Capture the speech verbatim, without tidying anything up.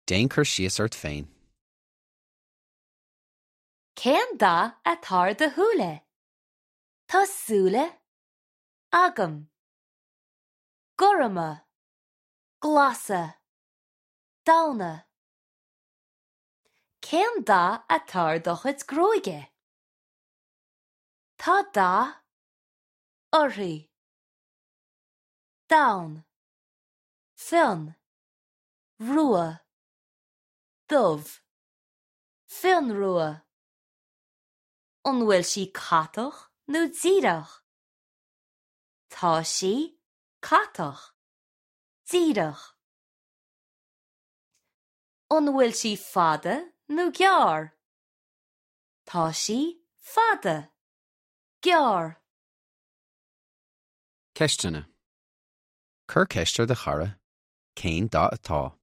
Déan cur síos ort féin. Cén dath atá ar do shúile? Tá súile agam. Gorma. Glasa. Donn. Cén dath atá ar do chuid gruaige? Tá dath uirthi. Donn. Fionn. Rua. Dubh. Fionnrua. An bhfuil sí catach nó díreach? Tá sí catach. Díreach. An bhfuil sí fada nó gearr? Tá sí fada. Gearr. Ceisteanna. Cuir ceist ar do chara, cén dath atá.